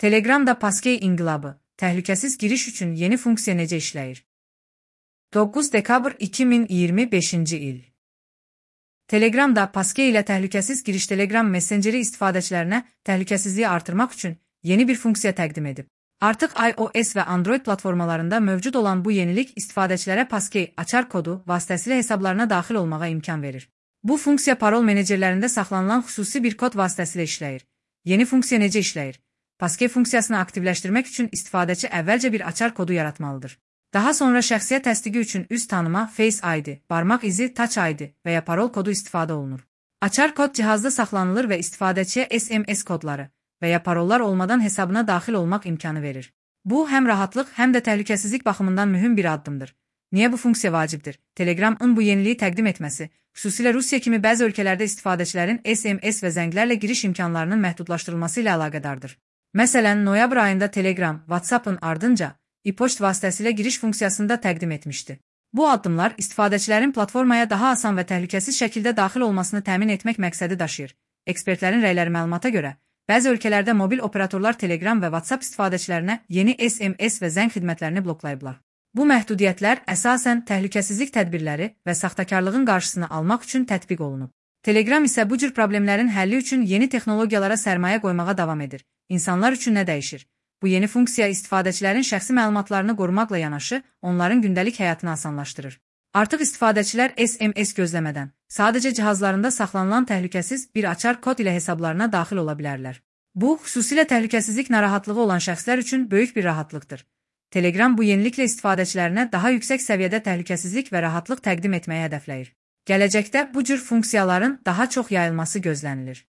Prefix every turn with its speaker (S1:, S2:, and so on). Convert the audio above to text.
S1: Telegramda Passkey inqilabı, təhlükəsiz giriş üçün yeni funksiya necə işləyir? 9 dekabr 2025-ci il. Telegramda Passkey ilə təhlükəsiz giriş Telegram messengeri istifadəçilərinə təhlükəsizliyi artırmaq üçün yeni bir funksiya təqdim edib. Artıq iOS və Android platformalarında mövcud olan bu yenilik istifadəçilərə Passkey açar kodu vasitəsilə hesablarına daxil olmağa imkan verir. Bu funksiya parol menecerlərində saxlanılan xüsusi bir kod vasitəsilə işləyir. Yeni funksiya necə işləyir? Passkey funksiyasını aktivləşdirmək üçün istifadəçi əvvəlcə bir açar kodu yaratmalıdır. Daha sonra şəxsiyyət təsdiqi üçün üz tanıma, Face ID, barmaq izi, Touch ID və ya parol kodu istifadə olunur. Açar kod cihazda saxlanılır və istifadəçiyə SMS kodları və ya parollar olmadan hesabına daxil olmaq imkanı verir. Bu, həm rahatlıq, həm də təhlükəsizlik baxımından mühüm bir addımdır. Niyə bu funksiya vacibdir? Telegramın bu yeniliyi təqdim etməsi, xüsusilə Rusiya kimi bəzi ölkələrdə istifadəçilərin SMS və zənglərlə giriş imkanlarının məhdudlaşdırılması ilə əlaqədardır. Məsələn, noyabr ayında Telegram, WhatsApp'ın ardınca e-poçt vasitəsilə giriş funksiyasını da təqdim etmişdi. Bu addımlar istifadəçilərin platformaya daha asan və təhlükəsiz şəkildə daxil olmasını təmin etmək məqsədi daşıyır. Ekspertlərin rəyləri məlumata görə, bəzi ölkələrdə mobil operatorlar Telegram və WhatsApp istifadəçilərinə yeni SMS və zəng xidmətlərini bloklayıblar. Bu məhdudiyyətlər əsasən təhlükəsizlik tədbirləri və saxtakarlığın qarşısını almaq üçün tətbiq olunub. Telegram isə bu cür problemlərin həlli üçün yeni texnologiyalara sərmayə qoymağa davam edir. İnsanlar üçün nə dəyişir? Bu yeni funksiya istifadəçilərin şəxsi məlumatlarını qorumaqla yanaşı, onların gündəlik həyatını asanlaşdırır. Artıq istifadəçilər SMS gözləmədən, sadəcə cihazlarında saxlanılan təhlükəsiz bir açar kod ilə hesablarına daxil ola bilərlər. Bu, xüsusilə təhlükəsizlik narahatlığı olan şəxslər üçün böyük bir rahatlıqdır. Telegram bu yeniliklə istifadəçilərinə daha yüksək səviyyədə təhlükəsizlik və rahatlıq təqdim etməyi hədəfləyir. Gələcəkdə bu cür funksiyaların daha çox yayılması gözlənilir.